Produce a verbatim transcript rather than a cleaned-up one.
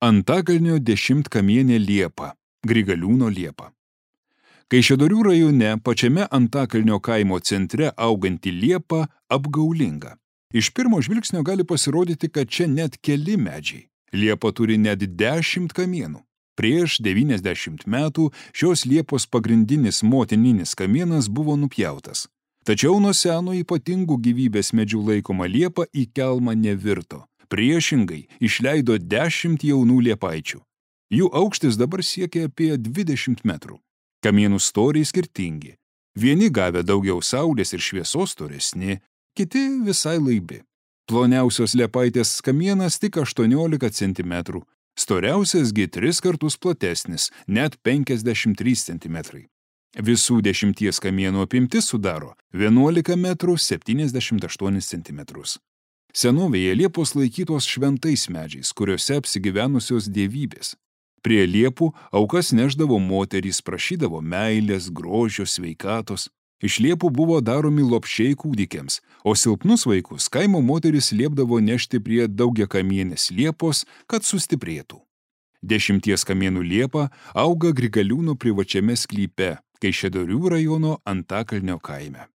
Antakalnio dešimtkamienė liepa, Grigaliūno liepa. Kaišiadorių rajone pačiame Antakalnio kaimo centre auganti liepa apgaulinga. Iš pirmo žvilgsnio gali pasirodyti, kad čia net keli medžiai. Liepa turi net dešimt kamienų. Prieš devyniasdešimt metų šios liepos pagrindinis motininis kamienas buvo nupjautas. Tačiau nuo seno ypatingų gyvybės medžių laikoma liepa į kelmą nevirto. Priešingai išleido dešimt jaunų liepaičių. Jų aukštis dabar siekia apie dvidešimt metrų. Kamienų storiai skirtingi. Vieni gavę daugiau saulės ir šviesos storesni, kiti visai laibi. Ploniausios liepaitės kamienas tik aštuoniolika centimetrų, storiausias gi tris kartus platesnis, net penkiasdešimt trys centimetrai. Visų dešimties kamienų apimtis sudaro vienuolika metrų septyniasdešimt aštuonis centimetrus. Senovėje liepos laikytos šventais medžiais, kuriuose apsigyvenusios dievybės. Prie liepų aukas neždavo moterys, prašydavo meilės, grožio, sveikatos. Iš liepų buvo daromi lopšiai kūdikiams, o silpnus vaikus kaimo moteris liepdavo nešti prie daugiakamienės liepos, kad sustiprėtų. Dešimties kamienų liepa auga Grigaliūno privačiame sklype, Kaišiadorių rajono Antakalnio kaime.